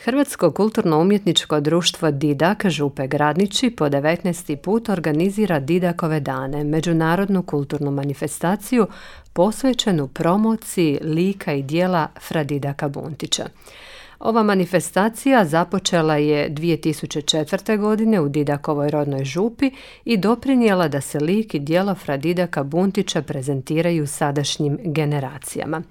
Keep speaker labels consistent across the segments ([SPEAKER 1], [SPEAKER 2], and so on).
[SPEAKER 1] Hrvatsko kulturno-umjetničko društvo Didak Župe Gradniči po 19. put organizira Didakove dane, međunarodnu kulturnu manifestaciju posvećenu promociji lika i djela fra Didaka Buntića. Ova manifestacija započela je 2004. godine u Didakovoj rodnoj Župi i doprinijela da se lik i djelo fra Didaka Buntića prezentiraju sadašnjim generacijama.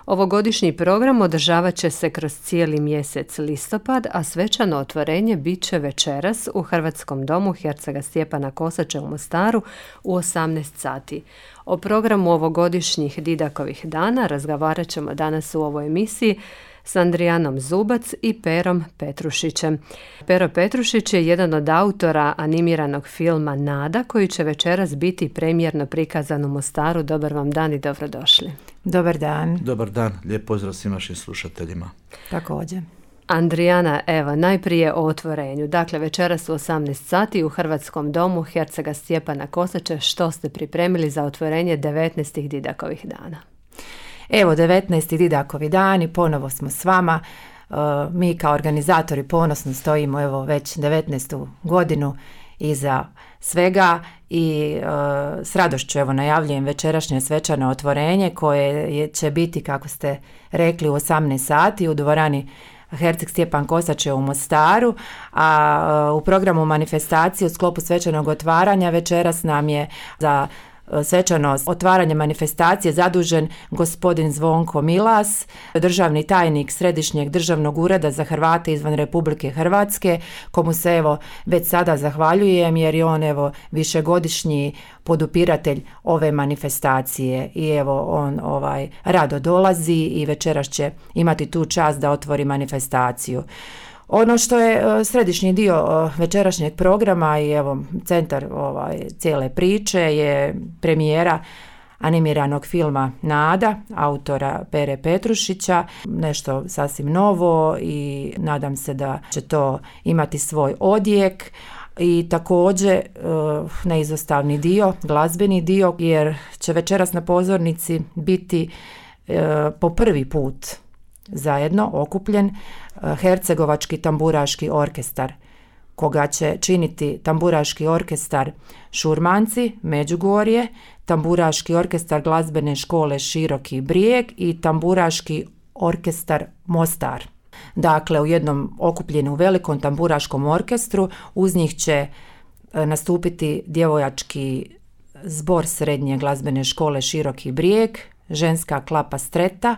[SPEAKER 1] Ovogodišnji program održavat će se kroz cijeli mjesec listopad, a svečano otvorenje bit će večeras u Hrvatskom domu Hercega Stjepana Kosača u Mostaru u 18 sati. O programu ovogodišnjih Didakovih dana razgovarat ćemo danas u ovoj emisiji s Andrijanom Zubac i Perom Petrušićem. Pero Petrušić je jedan od autora animiranog filma Nada, koji će večeras biti premijerno prikazan u Mostaru. Dobar vam dan i dobrodošli.
[SPEAKER 2] Dobar dan.
[SPEAKER 3] Dobar dan, lijep pozdrav svim našim slušateljima.
[SPEAKER 2] Također.
[SPEAKER 1] Andrijana, evo, najprije o otvorenju. Dakle, večeras u 18 sati u Hrvatskom domu Hercega Stjepana Kosača. Što ste pripremili za otvorenje 19. Didakovih dana?
[SPEAKER 2] Evo, 19. Didakovi dani, ponovo smo s vama. Mi kao organizatori ponosno stojimo evo već 19. godinu iza svega i s radošću evo najavljujem večerašnje svečano otvorenje koje će biti, kako ste rekli, u 18 sati u dvorani Herceg Stjepan Kosač u Mostaru, a u programu manifestacije u sklopu svečanog otvaranja večeras nam je za svečano otvaranje manifestacije zadužen gospodin Zvonko Milas, državni tajnik Središnjeg državnog ureda za Hrvate izvan Republike Hrvatske, komu se evo već sada zahvaljujem jer je on evo višegodišnji podupiratelj ove manifestacije i evo on rado dolazi i večeras će imati tu čast da otvori manifestaciju. Ono što je središnji dio večerašnjeg programa i evo centar cijele priče je premijera animiranog filma Nada, autora Pere Petrušića, nešto sasvim novo i nadam se da će to imati svoj odjek. I također neizostavni dio, glazbeni dio, jer će večeras na pozornici biti po prvi put zajedno okupljen Hercegovački tamburaški orkestar, koga će činiti tamburaški orkestar Šurmanci, Međugorje, tamburaški orkestar glazbene škole Široki Brijeg i tamburaški orkestar Mostar. Dakle, u jednom okupljenom velikom tamburaškom orkestru uz njih će nastupiti djevojački zbor srednje glazbene škole Široki Brijeg, ženska klapa Streta,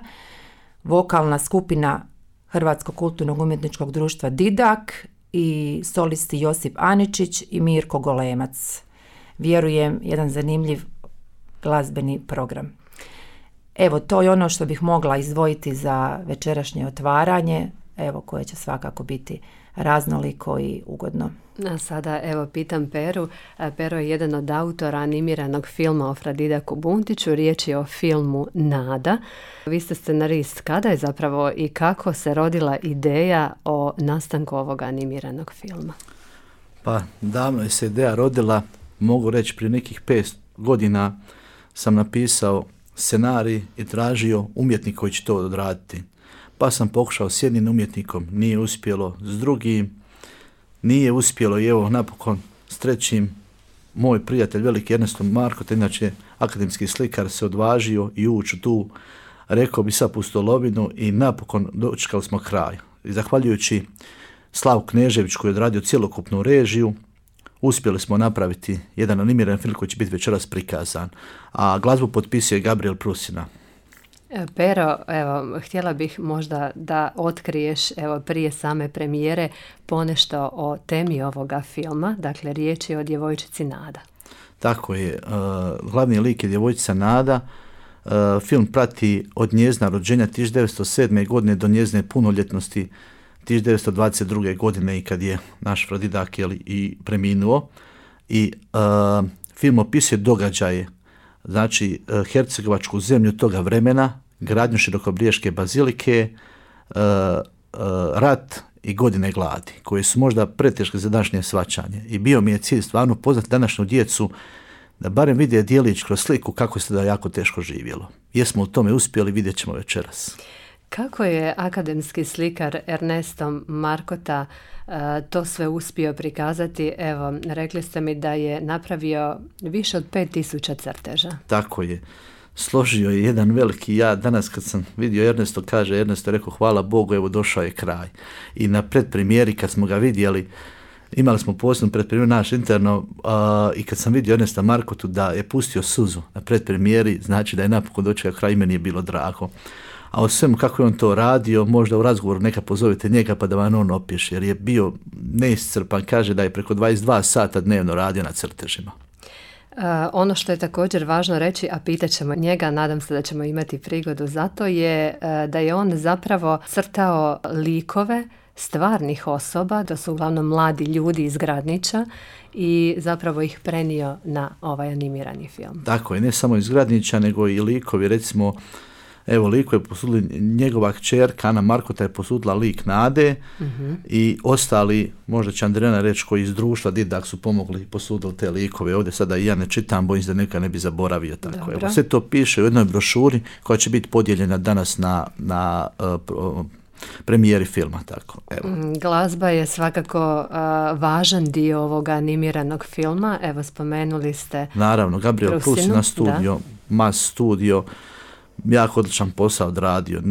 [SPEAKER 2] vokalna skupina Hrvatskog kulturnog umjetničkog društva Didak i solisti Josip Aničić i Mirko Golemac. Vjerujem, jedan zanimljiv glazbeni program. Evo, to je ono što bih mogla izdvojiti za večerašnje otvaranje, evo, koje će svakako biti raznoliko i ugodno.
[SPEAKER 1] A sada evo pitam Peru. Pero je jedan od autora animiranog filma o fra Didaku Buntiću. Riječ je o filmu Nada. Vi ste scenarist. Kada je zapravo i kako se rodila ideja o nastanku ovog animiranog filma?
[SPEAKER 3] Pa davno je se ideja rodila, mogu reći prije nekih 5 godina sam napisao scenarij i tražio umjetnika koji će to odraditi. Pa sam pokušao s jednim umjetnikom, nije uspjelo, s drugim nije uspjelo i evo napokon s trećim moj prijatelj veliki Ernesto Marko, inače akademski slikar, se odvažio i ući tu, rekao bi sad pustolovinu i napokon dočekali smo kraj. I zahvaljujući Slavu Kneževiću koji je odradio cjelokupnu režiju, uspjeli smo napraviti jedan animiran film koji će biti večeras prikazan, a glazbu potpisuje Gabriel Prusina.
[SPEAKER 1] Pero, evo, htjela bih možda da otkriješ, evo, prije same premijere ponešto o temi ovoga filma. Dakle, riječ je o djevojčici Nada.
[SPEAKER 3] Tako je. Glavni lik je djevojčica Nada. Film prati od njezina rođenja 1907. godine do njezine punoljetnosti 1922. godine i kad je naš fra Didak i preminuo. I film opisuje događaje, znači hercegovačku zemlju toga vremena, gradnju Širokobriješke bazilike, rat i godine gladi, koje su možda preteške za današnje shvaćanje. I bio mi je cilj stvarno poznati današnju djecu da barem vide djelić kroz sliku kako se da jako teško živjelo. Jesmo u tome uspjeli, vidjet ćemo večeras.
[SPEAKER 1] Kako je akademski slikar Ernesto Markota to sve uspio prikazati? Evo, rekli ste mi da je napravio više od 5000 crteža.
[SPEAKER 3] Tako je. Složio je jedan veliki, ja danas kad sam vidio Ernesto, Ernesto rekao hvala Bogu, evo došao je kraj. I na predpremijeri kad smo ga vidjeli, imali smo posebno predpremjeru naš interno i kad sam vidio Ernesta Markotu da je pustio suzu na predpremijeri, znači da je napokon dočekao kraj, meni je bilo drago. A o svemu kako je on to radio, možda u razgovoru neka pozovete njega pa da vam on opiše, jer je bio neiscrpan, kaže da je preko 22 sata dnevno radio na crtežima.
[SPEAKER 1] Ono što je također važno reći, a pitat ćemo njega, nadam se da ćemo imati prigodu za to, je da je on zapravo crtao likove stvarnih osoba, to su uglavnom mladi ljudi iz Gradnića, i zapravo ih prenio na ovaj animirani film.
[SPEAKER 3] Tako je, ne samo iz Gradnića, nego i likovi, recimo, evo liko je posudila, njegova kćerka Ana Markota je posudila lik Nade i ostali, možda će Andrijana reći, koji iz društva Didak su pomogli i posudili te likove. Ovdje sada i ja ne čitam, bojim se da neka ne bi zaboravio. Tako. Evo, sve to piše u jednoj brošuri koja će biti podijeljena danas na premijeri filma. Tako. Evo.
[SPEAKER 1] Glazba je svakako važan dio ovoga animiranog filma. Evo, spomenuli ste
[SPEAKER 3] naravno, Gabriel
[SPEAKER 1] Prusinu,
[SPEAKER 3] na studio, Mas studio, jako odličan posao odradio.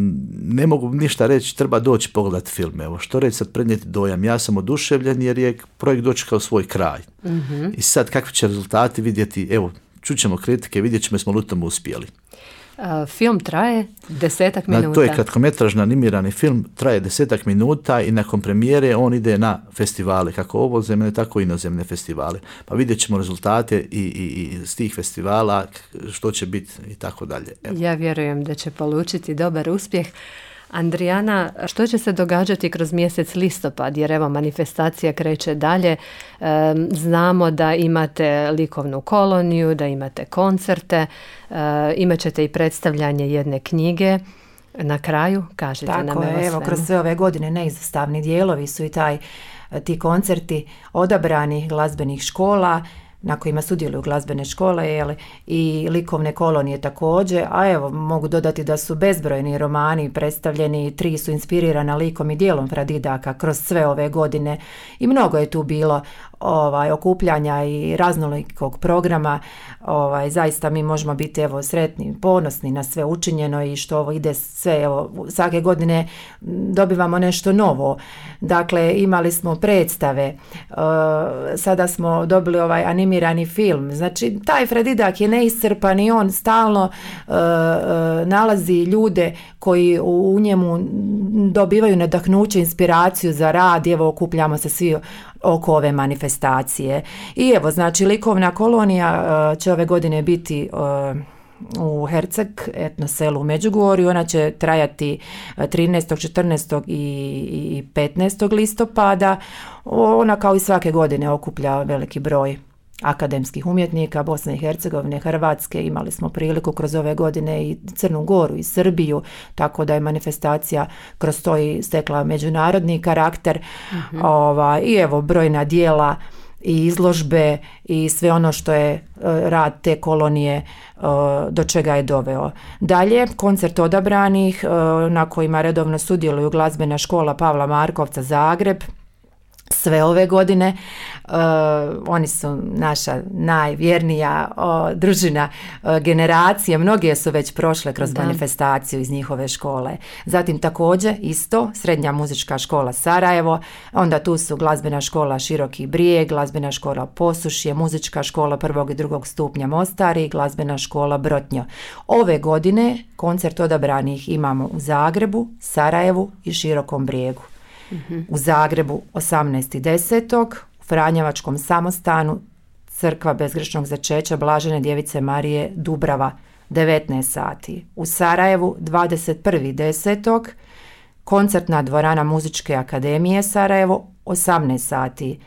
[SPEAKER 3] Ne mogu ništa reći, treba doći pogledati film. Evo, što reći sad, prenijeti dojam. Ja sam oduševljen jer je projekt dočekao svoj kraj. I sad kakvi će rezultati vidjeti, evo, čućemo kritike, vidjet ćemo smo li u tome uspjeli.
[SPEAKER 1] Film traje 10 minuta.
[SPEAKER 3] To je kratkometražni animirani film, traje 10 minuta i nakon premijere on ide na festivale, kako ovozemne, tako i inozemne festivale. Pa vidjet ćemo rezultate i s tih festivala, što će biti i tako dalje. Evo.
[SPEAKER 1] Ja vjerujem da će polučiti dobar uspjeh. Andrijana, što će se događati kroz mjesec listopad, jer evo manifestacija kreće dalje, znamo da imate likovnu koloniju, da imate koncerte, imat ćete i predstavljanje jedne knjige. Na kraju, kažete nam
[SPEAKER 2] tako
[SPEAKER 1] evo
[SPEAKER 2] je, evo kroz sve ove godine neizostavni dijelovi su i ti koncerti odabranih glazbenih škola, na kojima sudjeluju glazbene škole i likovne kolonije također, a evo mogu dodati da su bezbrojni romani predstavljeni, 3 su inspirirana likom i dijelom Fra Didaka kroz sve ove godine i mnogo je tu bilo okupljanja i raznolikog programa. Zaista mi možemo biti evo sretni, ponosni na sve učinjeno i što ovo ide sve, evo svake godine dobivamo nešto novo. Dakle, imali smo predstave, sada smo dobili ovaj animirani film. Znači, taj Fra Didak je neiscrpan i on stalno nalazi ljude koji u njemu dobivaju nadahnuće, inspiraciju za rad. Evo, okupljamo se svi oko ove manifestacije. I evo, znači, likovna kolonija će ove godine biti u Herceg, etno selu u Međugorju. Ona će trajati 13., 14. i 15. listopada. Ona kao i svake godine okuplja veliki broj akademskih umjetnika Bosne i Hercegovine, Hrvatske. Imali smo priliku kroz ove godine i Crnu Goru i Srbiju, tako da je manifestacija kroz to i stekla međunarodni karakter. I evo, brojna dijela i izložbe i sve ono što je rad te kolonije do čega je doveo. Dalje, koncert odabranih na kojima redovno sudjeluju glazbena škola Pavla Markovca Zagreb. Sve ove godine oni su naša najvjernija družina generacije, mnoge su već prošle kroz manifestaciju iz njihove škole. Zatim također isto Srednja muzička škola Sarajevo, onda tu su glazbena škola Široki Brijeg, glazbena škola Posušje, muzička škola 1. i 2. stupnja Mostar i glazbena škola Brotnjo. Ove godine koncert odabranih imamo u Zagrebu, Sarajevu i Širokom Brijegu. U Zagrebu 18.10. u Franjevačkom samostanu Crkva bezgrešnog začeća Blažene djevice Marije Dubrava 19 sati. U Sarajevu 21.10. koncertna dvorana Muzičke akademije Sarajevo 18 sati.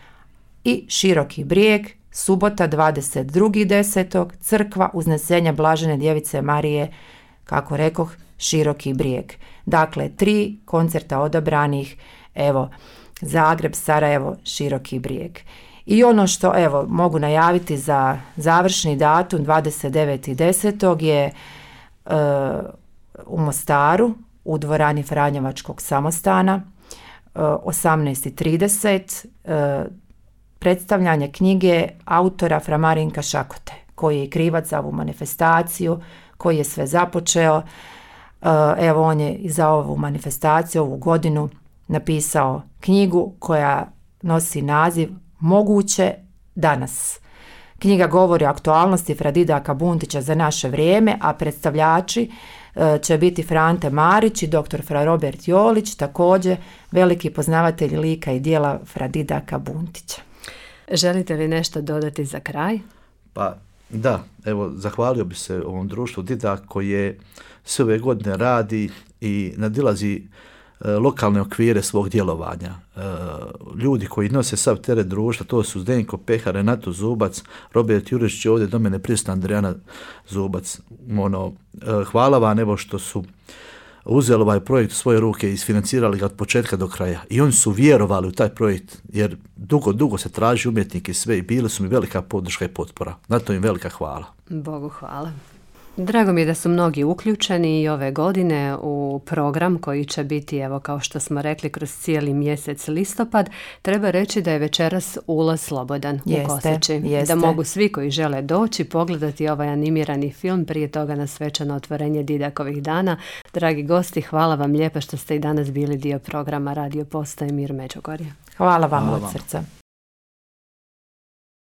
[SPEAKER 2] I Široki Brijeg subota 22.10. Crkva Uznesenja Blažene djevice Marije, kako rekoh, Široki Brijeg. Dakle, 3 koncerta odabranih, evo, Zagreb, Sarajevo, Široki Brijeg. I ono što, evo, mogu najaviti za završni datum 29.10. je u Mostaru, u dvorani Franjevačkog samostana 18:30, predstavljanje knjige autora Fra Marinka Šakote, koji je krivac za ovu manifestaciju, koji je sve započeo. Evo, on je i za ovu manifestaciju, ovu godinu, napisao knjigu koja nosi naziv Moguće danas. Knjiga govori o aktualnosti Fra Didaka Buntića za naše vrijeme, a predstavljači će biti Frante Marić i dr. Fra Robert Jolić, također veliki poznavatelj lika i djela Fra Didaka Buntića.
[SPEAKER 1] Želite li nešto dodati za kraj?
[SPEAKER 3] Pa da, evo, zahvalio bi se ovom društvu Didak koje sve ove godine radi i nadilazi lokalne okvire svog djelovanja. Ljudi koji nose sav teret društva, to su Zdenko Pehar, Renato Zubac, Robert Jurišić, ovdje do mene prisutna Andrijana Zubac. Hvala vam, evo, što su uzeli ovaj projekt u svoje ruke i isfinancirali ga od početka do kraja. I oni su vjerovali u taj projekt, jer dugo se traži umjetnike i sve, i bili su mi velika podrška i potpora. Na to im velika hvala.
[SPEAKER 1] Bogu hvala. Drago mi je da su mnogi uključeni i ove godine u program koji će biti, evo, kao što smo rekli, kroz cijeli mjesec listopad. Treba reći da je večeras ulaz slobodan u Koseči. Da mogu svi koji žele doći pogledati ovaj animirani film, prije toga na svečano otvorenje Didakovih dana. Dragi gosti, hvala vam lijepa što ste i danas bili dio programa Radio Postaje Mir Međugorje.
[SPEAKER 2] Hvala vam od srca.